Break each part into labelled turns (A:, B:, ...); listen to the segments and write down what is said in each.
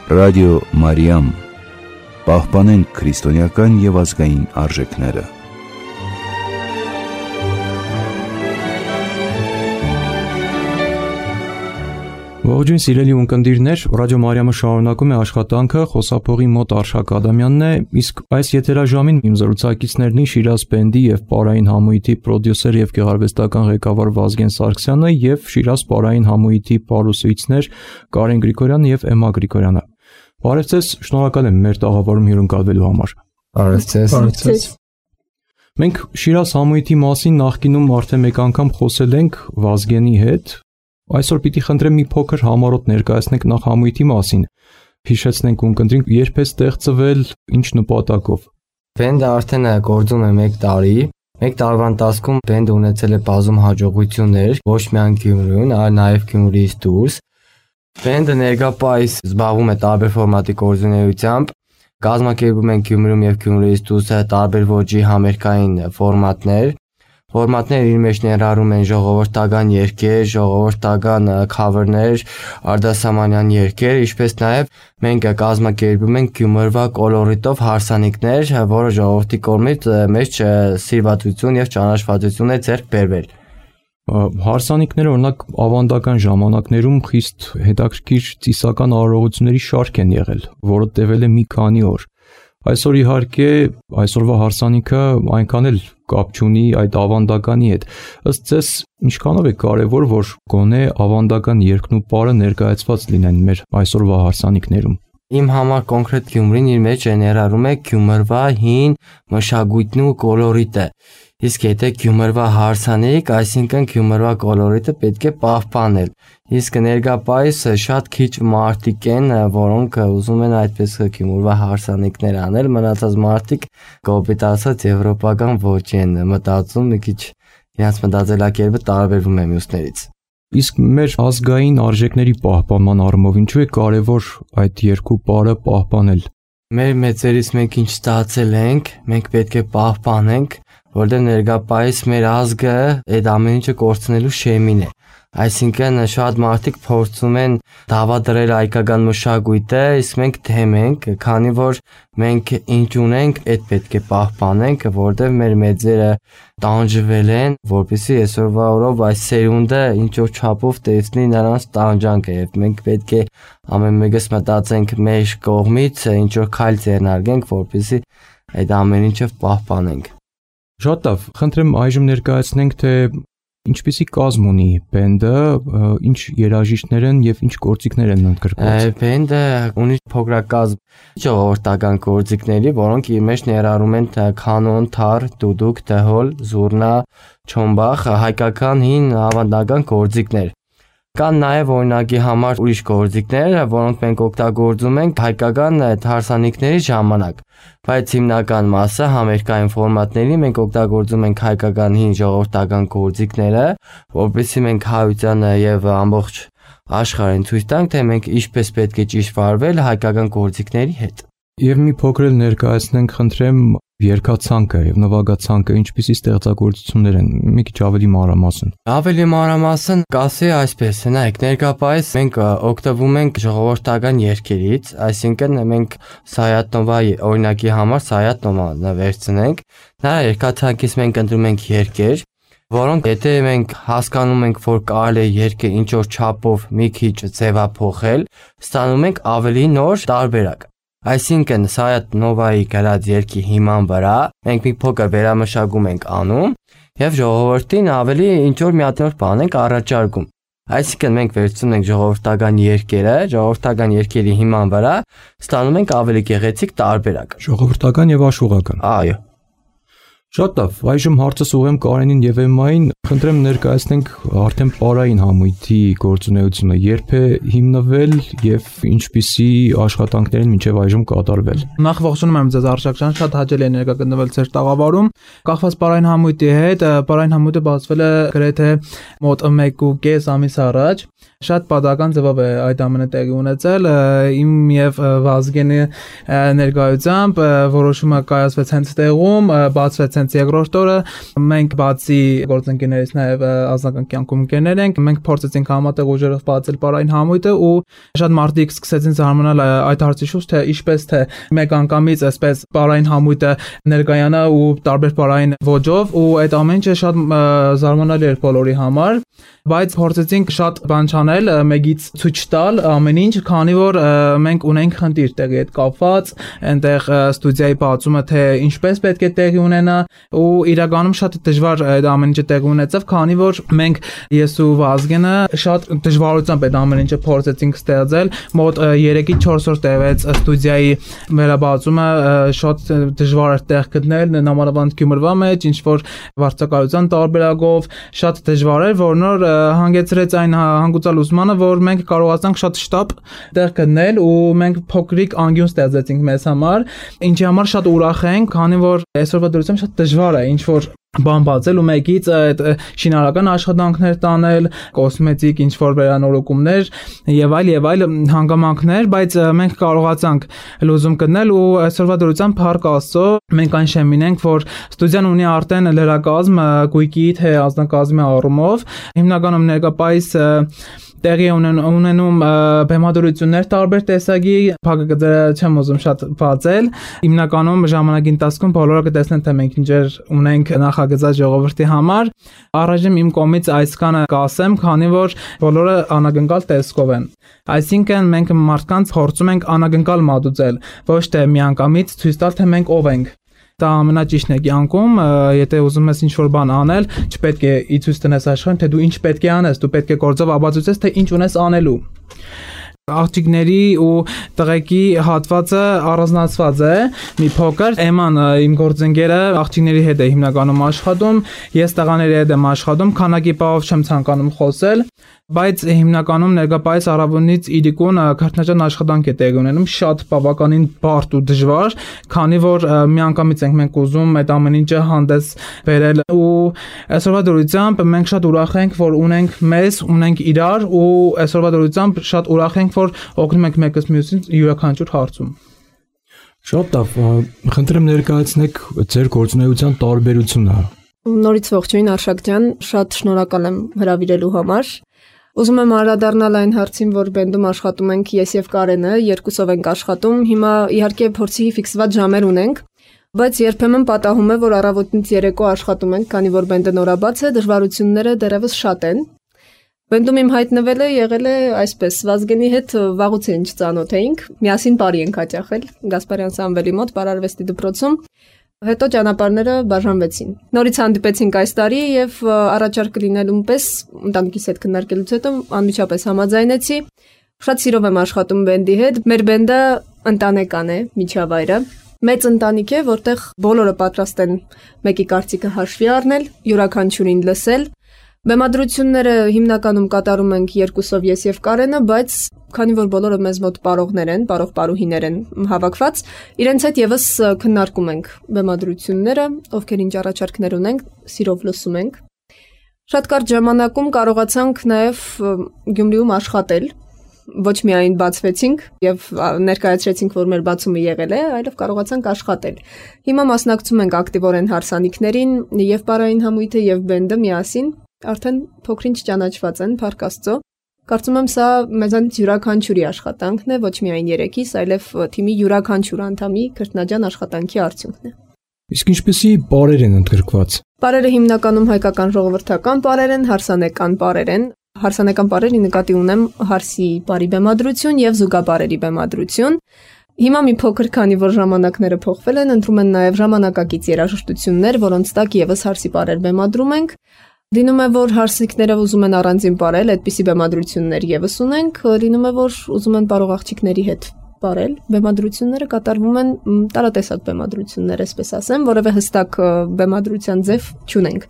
A: Ռադիո Մարիամ, պահպանենք քրիստոնեական և ազգային արժեքները։
B: Ողջույն սիրելի ունկնդիրներ, Ռադիո Մարիամը շարունակում է աշխատանքը, խոսափողի մոտ Արշակ Ադամյանն է, իսկ այս եթերաժամին իմ զրուցակիցներն Շիրազ բենդի և Պարային համույթի պրոդյուսեր և գեղարվեստական ղեկավար Վազգեն Սարգսյանը և Շիրազ Պարային համույթի պարուսույցներ Կարեն Գրիգորյանը և Էմմա Գրիգորյանը։ Բարև ձեզ, շնորհակալ եմ մեր տաղավարում հյուրընկալվելու համար։
C: Բարև ձեզ։
B: Մենք Շիրազ համույթի մասին նախկինում արդեն մեկ անգամ խոսել ենք Վազգենի հետ։ Այսօր պիտի խնդրեմ մի փոքր համառոտ ներկայացնենք նախ համույթի մասին։ Հիշեցնենք ունկնդրինք, երբ է ստեղծվել, ինչ նպատակով։
C: Բենդը արդեն գործում է 1 տարի։ 1 տարվա ընթացքում բենդը ունեցել է բազում հաջողություններ, ոչ միայն Գյումրիում, այլ նաև Գյումրիից դուրս։ Բենդը ներկայումս զբաղվում է տարբեր ֆորմատի գործունեությամբ։ Կազմակերպում են Գյումրիում և Գյումրիից դուրս տարբեր ոճի համերգային ֆորմատներ։ Ֆորմատները իր մեջ ներառում են ժողովրդական երգեր, ժողովրդական քավերներ, արտասահմանյան երգեր, ինչպես նաև մենք կազմակերպում ենք Գյումրվա կոլորիտով հարսանիքներ, որը ժողովրդի կողմից մեծ սիրվածություն և ճանաչվածություն է ձեռք բերվել։
B: Հարսանիքները օրինակ ավանդական ժամանակներում խիստ հետաքրքիր ծիսական արարողությունների շարք են եղել, որը տևել է մի քանի օր։ Այսօր իհարկե այսօրվա հարսանիքը այնքան էլ կապ չունի այդ ավանդականի հետ։ Ըստ ձեզ, ինչքանով է կարևոր, որ գոնե ավանդական երգն ու պարը ներկայացված լինեն մեր այսօրվա հարսանիքներում։
C: Իմ համար կոնկրետ Գյումրին իր մեջ ներառում է Գյումրվա հին մշակույթն ու կոլորիտը։ Իսկ եթե Գյումրվա հարսանիք, այսինքն Գյումրվա կոլորիտը պետք է պահպանել։ Իսկ ներկայումս շատ քիչ մարդիկ են, որոնք ուզում են այդպես Գյումրվա հարսանիքներ անել, մնացած մարդիկ կոպիտ ասած եվրոպական ոճի են մտածում, մի քիչ իրենց մտածելակերպը տարբերվում է մյուսներից։
B: Իսկ մեր ազգային արժեքների պահպանման առումով ինչու է կարևոր այդ երկու պարը պահպանել։
C: Մեր մեծերից մենք ինչ ստացել ենք, մենք պետք է պահպանենք, որտեղ ներկայումս մեր ազգը այդ ամեն ինչը կորցնելու շեմին է։ Այսինքն շատ մարդիկ փորձում են դավադրել հայկական մշակույթը, իսկ մենք դեմ ենք, քանի որ մենք ինչ ունենք, այդ պետք է պահպանենք, որտեղ մեր մեծերը տանջվել են, որպեսզի այսօրվա օրով այս սերունդը ինչ որ չափով տեսնի նրանց տանջանքը, եւ մենք պետք է ամեն մեկս մտածենք մեր կողմից ինչ որ քայլ ձեռնարկենք, որպեսզի այդ ամեն ինչը պահպանենք։
B: Շատ լավ, խնդրեմ այժմ ներկայացնենք, թե ինչպիսի կազմ ունի բենդը, ինչ երաժիշտներ են եւ ինչ գործիքներ են ընդգրկված։
C: Բենդը ունի փոքրակազմ ժողովրդական գործիքների, որոնք իր մեջ ներառում են կանոն, թար, դուդուկ, դհոլ, զուռնա, չոմբախ, հայկական հին ավանդական գործիքներ։ Կան նաև օրինակի համար ուրիշ գործիքներ, որոնք մենք օգտագործում ենք հայկական հարսանիքների ժամանակ, բայց հիմնական մասը համերգային ֆորմատների մենք օգտագործում ենք հայկական հին ժողովրդական գործիքները, որովհետեւ մենք հայությանը եւ ամբողջ աշխարհին ցույց տանք, թե մենք ինչպես պետք է ճիշտ վարվել հայկական գործիքների հետ։
B: Եվ մի փոքր ներկայացնենք, խնդրեմ, երգացանկը եւ նվագացանկը ինչպիսի ստեղծագործություններ են, մի քիչ ավելի մանրամասն։
C: Ավելի մանրամասն կասի այսպես, նայեք, ներկայումս մենք օգտվում ենք ժողովրդական երգերից, այսինքն մենք Սայաթ-Նովայի օրինակի համար Սայաթ-Նովան վերցնենք, նրա երգացանկից մենք ընտրում ենք երգեր, որոնք եթե մենք հասկանում ենք, որ կարելի է երգը ինչ որ չափով մի քիչ ձևափոխել, ստանում ենք ավելի նոր տարբերակ։ Այսինքն Սայաթ-Նովայի գրած երգի հիման վրա մենք մի փոքր վերամշակում ենք անում եւ ժողովրդին ավելի ինչ որ մի հատ նոր բան ենք առաջարկում։ Այսինքն մենք վերցնում ենք ժողովրդական երգերը, ժողովրդական երգերի հիման վրա ստանում ենք ավելի գեղեցիկ տարբերակ։
B: Ժողովրդական եւ աշխուղական։
C: Այո։
B: Շատ լավ, այժմ հարցս ուղղեմ Կարենին եւ Էմմային, խնդրեմ ներկայացնենք արդեն պարային համույթի գործունեությունը, երբ է հիմնվել եւ ինչպիսի աշխատանքներ են մինչեւ այժմ կատարվել։
D: Նախ ողջունում եմ ձեզ Արշակ ջան, շատ հաճելի է ներկա գտնվել ձեր տաղավարում։ Կախված պարային համույթի հետ, պարային համույթը բացվել է գրեթե մոտ 1.5 ամիս առաջ։ շատ պատահական ձևով է այդ ամենը տեղի ունեցել, իմ եւ Վազգենի ներկայությամբ որոշումը կայացվեց հենց տեղում, բացվեց հենց երկրորդ օրը, մենք բացի գործընկերներից նաեւ ազնական կյանքում ընկերներ ենք, մենք փորձեցինք համատեղ ուժերով բացել պարային համույթը ու շատ մարդիկ սկսեցին զարմանալ այդ հարցի շուրջ, թե ինչպես թե մեկ անգամից այսպես պարային համույթը ներկայանա ու տարբեր պարային ոճով ու այդ ամեն ինչը շատ զարմանալի էր բոլորի համար, բայց փորձեցինք շատ բան չանել, մեկից ցույց տալ ամեն ինչ, քանի որ մենք ունենք խնդիր տեղի հետ կապված, այնտեղ ստուդիայի բացումը թե ինչպես պետք է տեղի ունենա ու իրականում շատ դժվար այդ ամեն ինչը տեղի ունեցավ, քանի որ մենք ես ու Վազգենը շատ դժվարությամբ այդ ամեն ինչը փորձեցինք ստեղծել, մոտ 3-ից 4 օր տևեց ստուդիայի վերաբացումը, շատ դժվար էր տեղ գտնել, նամանավանդ Գյումրվա մեջ, ինչ որ վարձակալության տարբերակով, շատ դժվար էր, որ նոր հանգեցրեց այն հանգուցալ ուսմանը, որ մենք կարողացանք շատ շտապ տեղ գտնել ու մենք փոքրիկ անկյուն ստեղծեցինք մեզ համար, ինչի համար շատ ուրախ ենք, քանի որ այսօրվա դրությամբ շատ դժվար է ինչ որ բան բացել ու մեկից այդ շինարարական աշխատանքներ տանել, կոսմետիկ ինչ որ վերանորոգումներ եւ այլ հանգամանքներ, բայց մենք կարողացանք լուծում գտնել ու այսօրվա դրությամբ փառք Աստծո մենք այն շեմին ենք, որ ստուդիան ունի արդեն լրակազմ գույքի թե անձնակազմի առումով, հիմնականում ներկայիս տեղի ունենում բեմադրություններ տարբեր տեսակի, փակագծը չեմ ուզում շատ բացել, հիմնականում ժամանակի ընթացքում բոլորը կտեսնեն թե մենք ինչեր ունենք նախագծած ժողովրդի համար, առայժմ իմ կողմից այսքանը կասեմ, քանի որ բոլորը անագնկալ տեսքով են, այսինքն մենք մարդկանց փորձում ենք անագնկալ մատուցել, ոչ թե միանգամից ցույց տալ թե մենք ով ենք, դա ամենաճիշտն է կյանքում, եթե ուզում ես ինչ-որ բան անել, չպետք է ցույց տնես աշխարհին, թե դու ինչ պետք է անես, դու պետք է գործով ապացուցես, թե ինչ ունես անելու։ Աղջիկների ու տղեկի հատվածը առանձնացված է, մի փոքր, Էման իմ գործընկերը աղջիկների հետ է հիմնականում աշխատում, ես տղաների հետ եմ աշխատում, քանակի բաղով չեմ ցանկանում խոսել, բայց հիմնականում ներկայիս առավոտից իրիկուն քրտնաջան աշխատանք է տեղի ունենում, շատ բավականին բարդ ու դժվար, քանի որ միանգամից ենք մենք ուզում այդ ամեն ինչը հանդես բերել ու այսօրվա դրությամբ մենք շատ ուրախ ենք, որ ունենք մեզ, ունենք իրար ու այսօրվա դրությամբ շատ ուրախ ենք, որ օգնում ենք մեկս մյուսին յուրաքանչյուր հարցում։
B: Շատ լավ, խնդրեմ ներկայացնեք ձեր գործունեության տարբերությունը։
E: Նորից ողջույն Արշակ ջան, շատ շնորհակալ եմ հրավիրելու համար։ Ուզում եմ անդրադառնալ այն հարցին, որ բենդում աշխատում ենք ես եւ Կարենը, երկուսով ենք աշխատում։ Հիմա իհարկե փորձի ֆիքսված ժամեր ունենք, բայց երբեմն պատահում է, որ առավոտից երեկո աշխատում ենք, քանի որ բենդը նորաբաց է, դժվարությունները դեռևս շատ են։ Բենդում իմ հայտնվելը եղել է այսպես, Վազգենի հետ վաղուց ինչ ծանոթ էինք, միասին բարի ենք հաճախել Գասպարյան Սամվելի մոտ Պարարվեստի դպրոցում։ Հետո ճանապարհները բաժանվեցին։ Նորից հանդիպեցինք այս տարի եւ առաջարկը լինելուն պես ընտանիքիս հետ քննարկելուց հետո անմիջապես համաձայնեցի։ Շատ սիրով եմ աշխատում բենդի հետ։ Մեր բենդը ընտանեկան է, միջավայրը։ Մեծ ընտանիք է, որտեղ բոլորը պատրաստ են մեկի կարծիքը հաշվի առնել, յուրաքանչյուրին լսել։ Բեմադրությունները հիմնականում կատարում ենք երկուսով ես եւ Կարենը, բայց քանի որ բոլորը մեզ մոտ պարողներ են, պարուհիներ են հավաքված, իրենց հետ եւս քննարկում ենք բեմադրությունները, ովքեր ինչ առաջարկներ ունենք, սիրով լսում ենք։ Շատ կարճ ժամանակում կարողացանք նաեւ Գյումրիում աշխատել, ոչ միայն բացվեցինք եւ ներկայացրեցինք, որ մեր բացումը եղել է, այլև կարողացանք աշխատել։ Հիմա մասնակցում ենք ակտիվորեն հարսանիքներին եւ պարային համույթը եւ բենդը միասին արդեն փոքրինչ ճանաչված են, փառք Աստծո։ Կարծում եմ սա մեզանից յուրաքանչյուրի աշխատանքն է, ոչ միայն երեքիս, այլև թիմի յուրաքանչյուր անդամի քրտնաջան աշխատանքի արդյունքն է։
B: Իսկ ինչպեսի պարեր են ընդգրկված։
E: Պարերը հիմնականում հայկական ժողովրդական պարեր են, հարսանեկան պարեր են։ Հարսանեկան պարերի նկատի ունեմ հարսի պարի բեմադրություն եւ զուգապարերի բեմադրություն։ Հիմա մի փոքր քանի որ ժամանակները փոխվել են, ընտրում են նաեւ ժամանակակից երաժշտություններ, որոնց տակ եւս հարսի պարեր բեմադրում ենք։ Լինում է, որ հարսիկները ուզում են առանձին պարել, այդպիսի բեմադրություններ եւս ունենք, լինում է, որ ուզում են պարող աղջիկների հետ պարել, բեմադրությունները կատարվում են տարատեսակ բեմադրություններ, այսպես ասեմ, որևէ հստակ բեմադրության ձև չունենք։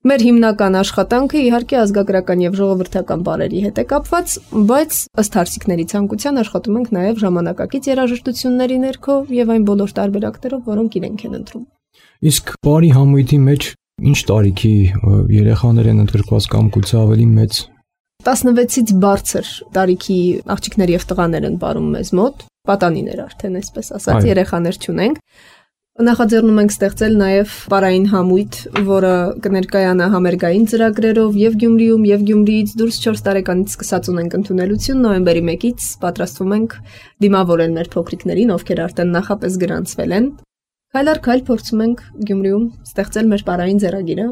E: Մեր հիմնական աշխատանքը իհարկե ազգագրական եւ ժողովրդական պարերի հետ է կապված, բայց ըստ հարսիկների ցանկության աշխատում ենք նաեւ ժամանակակից երաժշտությունների ներքո եւ այն բոլոր տարբերակներով, որոնք իրենք են ընտրում։
B: Իսկ պարի համույթի մեջ ինչ տարիքի երեխաներ են ընդգրկված կամ գուցե ավելի մեծ։
E: 16-ից բարձր տարիքի աղջիկներ եւ տղաներ են ապրում մեզ մոտ, պատանիներ արդեն այսպես ասած, երեխաներ չունենք։ Նախաձեռնում ենք ստեղծել նաև պարային համույթ, որը կներկայանա համերգային ծրագրերով եւ Գյումրիում եւ Գյումրիից դուրս 4 տարեկանից սկսած ունենք ընդունելություն, նոյեմբերի 1-ից պատրաստվում ենք դիմավորել մեր փոքրիկներին, ովքեր արդեն նախապես գրանցվել են։ Քայլ առ քայլ փորձում ենք Գյումրիում ստեղծել մեր պարային ձեռագիրը։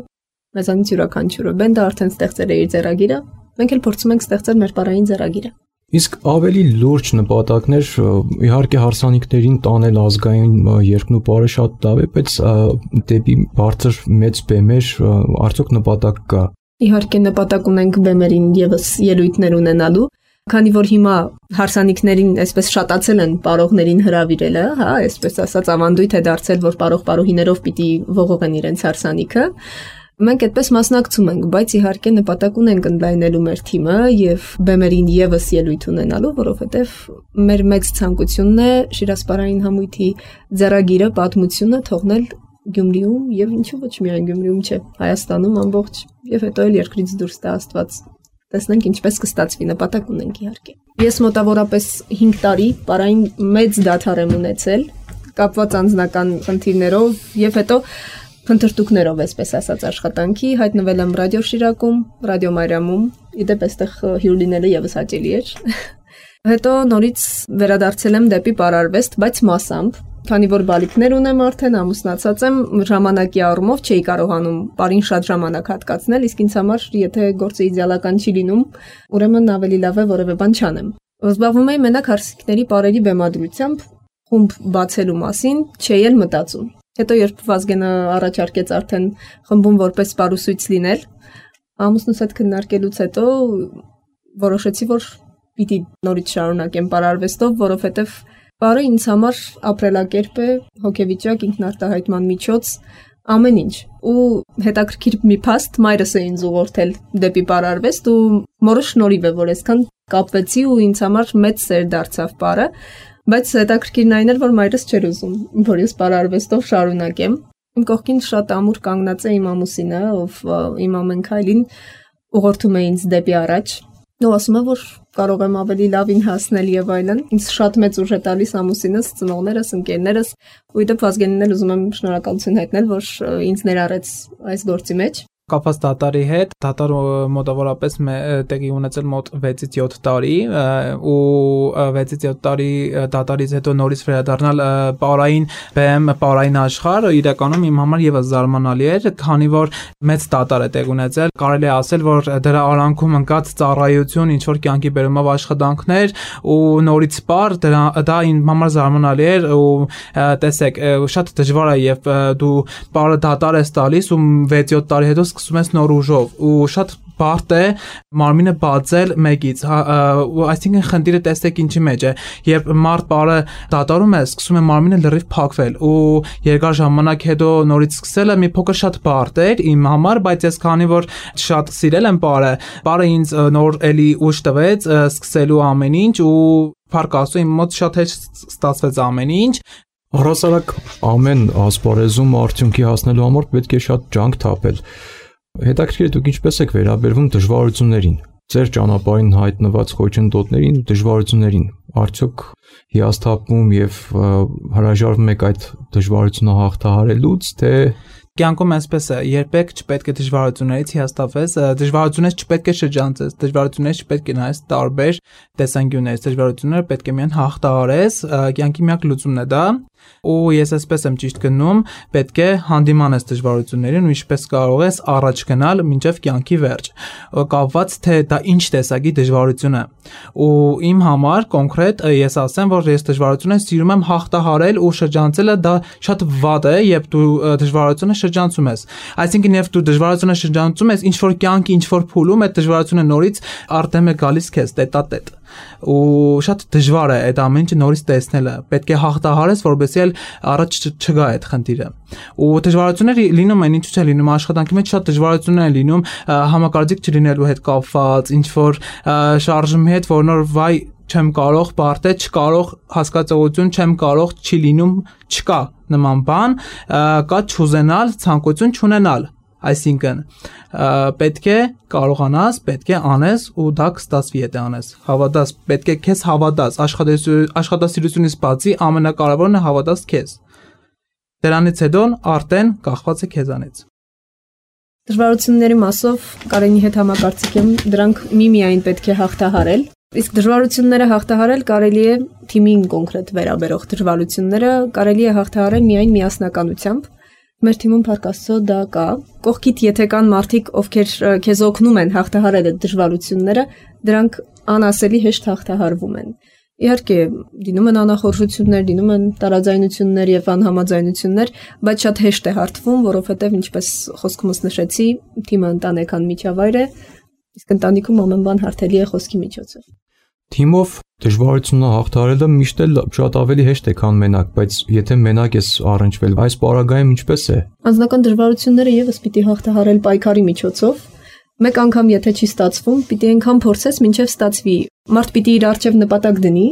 E: Մեզանից յուրաքանչյուրը բենդը արդեն ստեղծել է իր ձեռագիրը, մենք էլ փորձում ենք ստեղծել մեր պարային ձեռագիրը։
B: Իսկ ավելի լուրջ նպատակներ իհարկե հարսանիքներին տանել ազգային երկն ու պարը շատ լավ է, բայց դեպի բարձր մեծ բեմեր արդյոք նպատակ կա։
E: Իհարկե նպատակ ունենք բեմերին եւս ելույթներ ունենալու, քանի որ հիմա հարսանիքներին այսպես շատացել են պարողներին հրավիրելը, հա, այսպես ասած ավանդույթ է դարձել, որ պարող-պարուհիներով պիտի ողողեն իրենց հարսանիքը։ Մենք այդպես մասնակցում ենք, բայց իհարկե նպատակ ունենք ընդլայնելու մեր թիմը եւ բեմերին եւս ելույթ ունենալու, որովհետեւ մեր մեծ ցանկությունն է Շիրազպարային համույթի ձեռագիրը, պատմությունը թողնել Գյումրիում եւ ինչու ոչ միայն Գյումրիում, չէ, Հայաստանում ամբողջ եւ հետո էլ երկրից դուրս տա Աստված։ Տեսնենք ինչպես կստացվի, նպատակ ունենք իհարկե։ Ես մոտավորապես 5 տարի պարային մեծ դադար եմ ունեցել, կապված անձնական խնդիրներով եւ հետո փնտրտուքներով, այսպես ասած, աշխատանքի, հայտնվել եմ ռադիո Շիրակում, ռադիո Մարիամում, իդեպ այստեղ հյուր լինելը եւս հաճելի էր։ Հետո նորից վերադարձել եմ դեպի պարարվեստ, բայց մասամբ, քանի որ բալիկներ ունեմ արդեն, ամուսնացած եմ, ժամանակի առումով չէի կարողանում պարին շատ ժամանակ հատկացնել, իսկ ինձ համար, եթե գործը իդեալական չի լինում, ուրեմն ավելի լավ է որևէ բան չանեմ։ Զբաղվում էի մենակ հարսանիքների պարերի բեմադրությամբ, խումբ բացելու մասին չէի էլ մտածում։ Հետո երբ Վազգենը առաջարկեց արդեն խմբում որպես պարուսույց լինել, ամուսնուս հետ քննարկելուց հետո որոշեցի, որ պիտի նորից շարունակեմ պարարվեստով, որովհետև պարը ինձ համար ապրելակերպ է, հոգեվիճակ, ինքնարտահայտման միջոց, ամեն ինչ։ Ու հետաքրքիր մի փաստ մայրս է ինձ ուղղորդել դեպի պարարվեստ ու մորը շնորհիվ է, որ այսքան կապվեցի ու ինձ համար մեծ սեր դարձավ պարը։ Բայց հետաքրքիրն այն էր, որ մայրս չէր ուզում, որ ես պարարվեստով շարունակեմ։ Իմ կողքին շատ ամուր կանգնած է իմ ամուսինը, ով իմ ամեն քայլին ուղղորդում է ինձ դեպի առաջ։ Ու ասում է, որ կարող եմ ավելի լավին հասնել եւ այլն։ Ինձ շատ մեծ ուժ է տալիս ամուսինս, ծնողներս, ընկերներս, ու իդեպ Վազգենին էլ ուզում եմ շնորհակալություն հայտնել, որ ինձ ներառեց այս գործի մեջ։
D: Կապված դատարի հետ, դատարը մոտավորապես տեղի ունեցել մոտ 6-ից 7 տարի ու 6-ից 7 տարի դատարից հետո նորից վերադառնալ պարային բեմ, պարային աշխարհ իրականում իմ համար եւս զարմանալի էր, քանի որ մեծ դատար է տեղ ունեցել, կարելի է ասել, որ դրա արանքում ընկած ծառայություն, ինչ որ կյանքի բերումով աշխատանքներ ու նորից պար, դա իմ համար զարմանալի էր ու տեսեք, շատ դժվար է եւ դու պարը դատար ես տալիս ու 6-7 տարի հետո սկսում ես նոր ուժով ու շատ բարդ է մարմինը բացել մեկից, այսինքն խնդիրը տեսեք ինչի մեջ է, երբ մարդ պարը դատարում է, սկսում է մարմինը լրիվ փակվել ու երկար ժամանակ հետո նորից սկսելը մի փոքր շատ բարդ էր իմ համար, բայց ես քանի որ շատ սիրել եմ պարը ինձ նոր էլի ուժ տվեց սկսելու ամեն ինչ ու փառք Աստծո իմ մոտ շատ հեշտ ստացվեց ամեն ինչ։
B: Առհասարակ ամեն ասպարեզում արդյունքի հասնելու համար պետք է շատ ջանք թափել։ Հետաքրքիր է դուք ինչպես եք վերաբերվում դժվարություններին, ձեր ճանապարհին հայտնված խոչընդոտներին ու դժվարություններին, արդյոք հիասթափվում եւ հրաժարվում եք այդ դժվարությունը հաղթահարելուց, թե
D: կյանքում այսպես է, երբեք չպետք է դժվարություններից հիասթափվես, դժվարություններից չպետք է շրջանցես, դժվարություններից չպետք է նայես տարբեր տեսանկյուններից, դժվարությունները պետք է միայն հաղթահարես, կյանքի միակ լուծումն է դա։ Ու ես այսպես եմ ճիշտ գնում, պետք է հանդիմանես դժվարություններին ու ինչպես կարող ես առաջ գնալ մինչև կյանքի վերջ։ Կապված թե դա ինչ տեսակի դժվարություն է։ Ու իմ համար կոնկրետ ես ասեմ, որ ես դժվարությունը սիրում եմ հաղթահարել ու շրջանցելը դա շատ վատ է, երբ դու դժվարությունը շրջանցում ես։ Այսինքն երբ դու դժվարությունը շրջանցում ես, ինչ որ կյանքի ինչ որ փուլում այդ դժվարությունը նորից արդեն է գալիս քեզ տետատետ։ Ու շատ դժվար է այդ ամեն ինչը նորից տեսնելը։ Պետք է հաղթահարես, որովհետեւ էլ առաջ չգա այդ խնդիրը։ Ու դժվարությունները լինում են, ինչու՞ չէ լինում, աշխատանքի մեջ շատ դժվարություններ են լինում, համակարգիչ չլինելու հետ կապված, ինչ որ շարժումի հետ, որ նոր վայ չեմ կարող, բարդ է, չկարող հասկացողություն, չեմ կարող, չի լինում, չկա նման բան, կա չուզենալ, ցանկություն չունենալ։ Այսինքն պետք է կարողանաս, պետք է անես ու դա կստացվի եթե անես։ Հավատաս, պետք է քեզ հավատաս, աշխատասիրությունից բացի ամենակարևորն է հավատաս քեզ։ Դրանից հետո արդեն կախված է քեզանից։
E: Դժվարությունների մասով Կարենի հետ համակարծիք եմ, դրանք միայն պետք է հաղթահարել։ Իսկ դժվարությունները հաղթահարել կարելի է թիմին կոնկրետ վերաբերող դժվարությունները կարելի է հաղթահարել միայն միասնականությամբ։ Մեր թիմում Փառք Աստծո դա կա։ Կողքիդ եթե կան մարդիկ, ովքեր քեզ օգնում են հաղթահարել այդ դժվարությունները, դրանք անասելի հեշտ հաղթահարվում են։ Իհարկե, դինում են անախորժություններ, դինում են տարաձայնություններ եւ անհամաձայնություններ, բայց շատ հեշտ է հարթվում, որովհետեւ ինչպես խոսքումս նշեցի, թիմը ընտանեկան միջավայր է, իսկ ընտանիքում ամեն բան հարթելի է խոսքի միջոցով։
B: Թիմով դժվարությունը հաղթահարելը միշտ էլ շատ ավելի հեշտ է, քան մենակ, բայց եթե մենակ ես առնչվել, այս պարագայում ինչպես է։
E: Անձնական դժվարությունները եւս պիտի հաղթահարել պայքարի միջոցով։ Մեկ անգամ եթե չի ստացվում, պիտի այնքան փորձես, մինչև ստացվի։ Մարդ պիտի իր առջև նպատակ դնի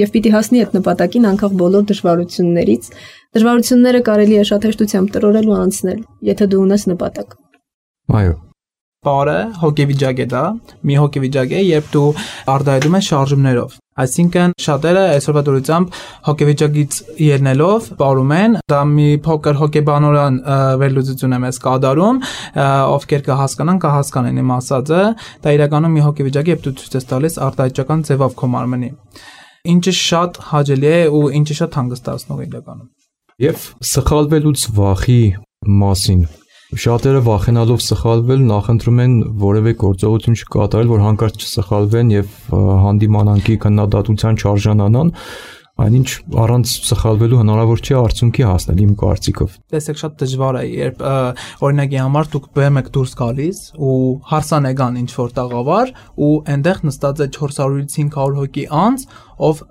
E: եւ պիտի հասնի այդ նպատակին անկախ բոլոր դժվարություններից։ Դժվարությունները կարելի է շատ հեշտությամբ տրորել ու անցնել, եթե դու ունես նպատակ։
B: Այո։
D: Բարը հոգեվիճակ է դա, մի հոգեվիճակ է, երբ դու արտահայտում ես շարժումներով։ Այսինքն շատերը այսօրվա դրությամբ հոգեվիճակից ելնելով ապրում են, դա մի փոքր հոգեբանորեն վերլուծություն է մեզ կատարում, ովքեր կհասկանան իմ ասածը, դա իրականում մի հոգեվիճակ է, երբ դու ցույց ես տալիս արտահայտչական ձևով քո մարմնի։ Ինչը շատ հաճելի է ու ինչը շատ հանգստացնող իրականում։
B: Եվ սխալվելուց վախի մասին շատերը վախենալով սխալվել նախընտրում են որևէ գործողություն չկատարել, որ հանկարծ չսխալվեն եւ հանդիմանանքի քննադատության չարժանանան, այնինչ առանց սխալվելու հնարավոր չէ արդյունքի հասնել իմ կարծիքով։
D: Տեսեք շատ դժվար է, երբ օրինակի համար դուք բեմ եք դուրս գալիս ու հարսան եկան ինչ որ տաղավար ու այնտեղ նստած է 400-ից 500 հոգի անց, ով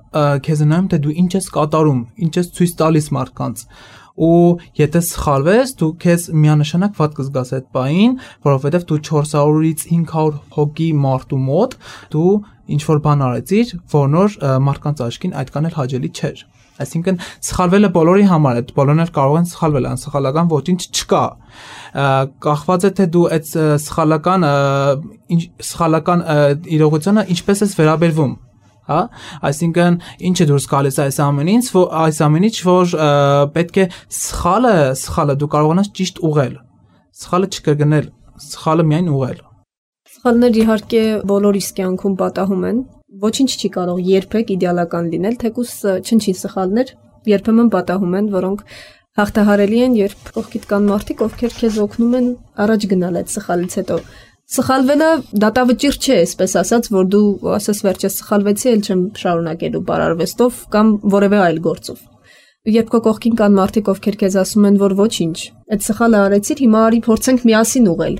D: քեզ նայում թե դու ինչ ես կատարում, ինչ ես ցույց տալիս մարդկանց։ Ու եթե սխալվես, դու քեզ միանշանակ վատ կզգաս այդ բային, որովհետև դու 400-ից 500 հոգի մարդու մոտ դու ինչ որ բան արեցիր, որնոր մարդկանց աչքին այդքան էլ հաճելի չէր։ Այսինքն սխալվելը բոլորի համար է, բոլորն էլ կարող են սխալվել, անսխալական ոչինչ չկա։ Կախված է թե դու այդ սխալական իրողությունը ինչպես ես վերաբերվում։ Հա, այսինքն ինչը դուրս գալիս այս ամենից, որ պետք է սխալը դու կարողանաս ճիշտ ուղղել, սխալը չկրկնել, սխալը միայն ուղղել։
E: Սխալներ իհարկե բոլորիս կյանքում պատահում են, ոչինչ չի կարող երբեք իդեալական լինել, թեկուզ չնչին սխալներ երբեմն պատահում են, որոնք հաղթահարելի են, երբ կողքիդ կան մարդիկ, ովքեր քեզ օգնում են առաջ գնալ այդ սխալից հետո։ Սխալվելը դատավճիռ չէ, այսպես ասած, որ դու ասես վերջես սխալվեցի, ել չեմ շարունակելու բարարվեստով կամ որևէ այլ գործով։ Երբ քո կողքին կան մարդիկ, ովքեր քեզ ասում են, որ ոչինչ, այդ սխալը արեցիր, հիմա արի փորձենք միասին ուղղել։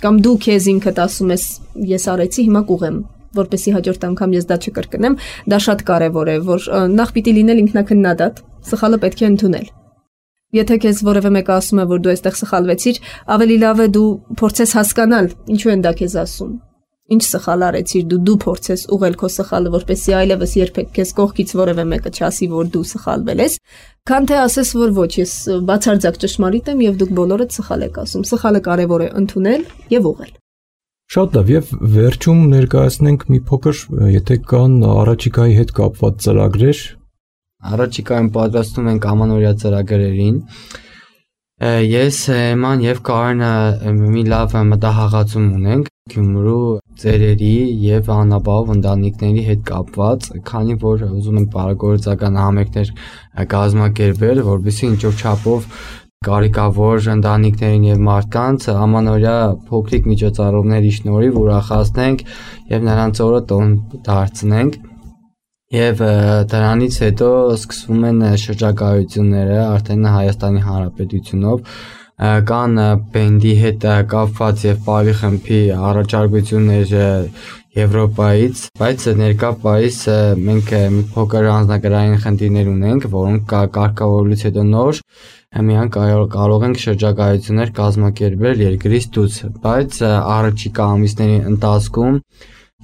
E: Կամ դու քեզ ինքդ ասում ես, ես արեցի, հիմա կուղեմ, որպեսզի հաջորդ անգամ ես դա չկրկնեմ, դա շատ կարևոր է, որ նախ պիտի լինել ինքնակնդադատ, սխալը պետք է ընդունել։ Եթե քեզ որևէ մեկը ասում է, որ դու այստեղ սխալվեցիր, ավելի լավ է դու փորձես հասկանալ, ինչու են դա քեզ ասում։ Ինչ սխալ արեցիր, դու փորձես ուղղել քո սխալը, որպեսզի այլևս երբեք քեզ կողքից որևէ մեկը չասի, որ դու սխալվել ես, քան թե ասես, որ ոչ, ես բացարձակ ճշմարիտ եմ եւ դուք բոլորդ սխալ եք ասում։ Սխալը կարևոր է ընդունել եւ ուղղել։
B: Շատ լավ, եւ վերջում ներկայացնենք մի փոքր, եթե կան առաջիկայի հետ կապված ծրագրեր։
C: Առաջիկայում պատրաստում ենք ամանորյա ծրագրերին։ Ես Էման եւ Կարենը մի լավ մտահղացում ունենք Գյումրու ծերերի եւ անապահով ընտանիքների հետ կապված, քանի որ ուզում ենք բարեգործական համերգներ կազմակերպել, որովհետեւ ինչ որ չափով կարիքավոր ընտանիքներին եւ մարդկանց ամանորյա փոքրիկ միջոցառումների շնորհիվ ուրախացնենք եւ նրանց օրը տոն դարձնենք։ Եվ դրանից հետո սկսվում են շրջագայությունները արդեն Հայաստանի Հանրապետությունով, կան բենդի հետ կապված եւ պարի խմբի առաջարկություններ Եվրոպայից, բայց ներկա պայիս մենք մի փոքր անձնագրային խնդիրներ ունենք, որոնք կարգավորելուց հետո նոր միան կարող ենք շրջագայություններ կազմակերպել երկրից դուրս, բայց առաջիկա ամիսների ընթացքում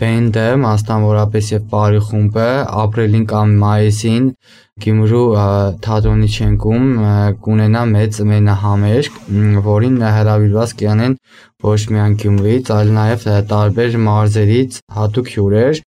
C: բենդը, մասնավորապես եւ բարի խումբը ապրիլին կամ մայիսին Գյումրու թատրոնի շենքում կունենա մեծ մենահամերգ, որին հրավիրված կյանեն ոչ միայն Գյումրիից, այլ նաեւ տարբեր մարզերից հատուկ հյուրեր։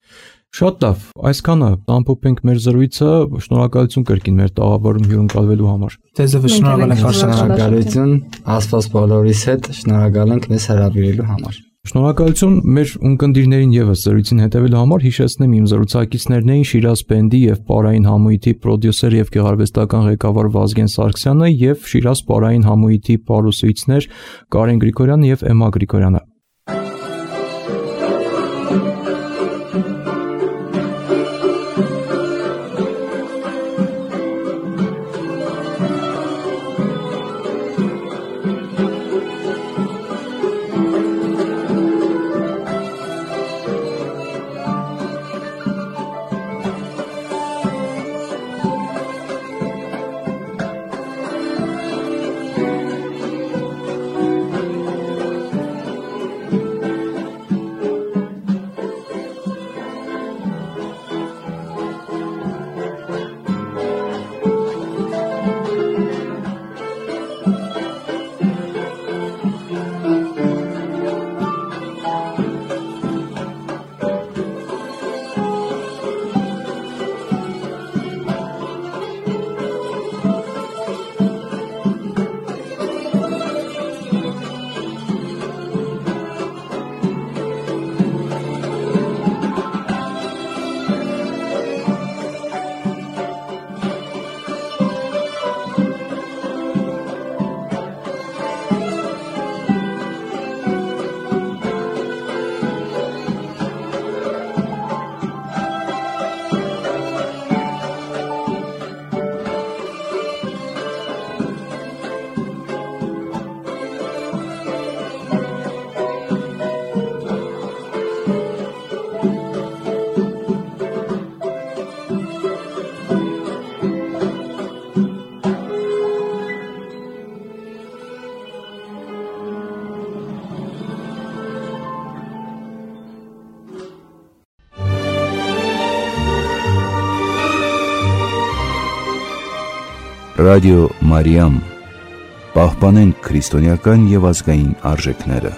B: Շատ լավ, այսքանը ամփոփենք մեր զրույցը, շնորհակալություն կրկին մեր տաղավարում հյուրընկալվելու համար։
D: Ձեզ շնորհակալ ենք,
C: շնորհակալություն, Աստված բոլորիս հետ, շնորհակալ ենք մեզ հրավիրելու համար։
B: Շնորհակալություն մեր ունկնդիրներին եւս զրույցին հետևելու համար հիշեցնեմ իմ զրուցակիցներն էին Շիրազ բենդի եւ Պարային համույթի պրոդյուսեր եւ գեղարվեստական ղեկավար Վազգեն Սարգսյանը եւ Շիրազ Պարային համույթի պարուսույցներ Կարեն Գրիգորյանը եւ Էմմա Գրիգորյանը։
A: Ռադիո Մարիամ, պահպանենք քրիստոնեական եւ ազգային արժեքները։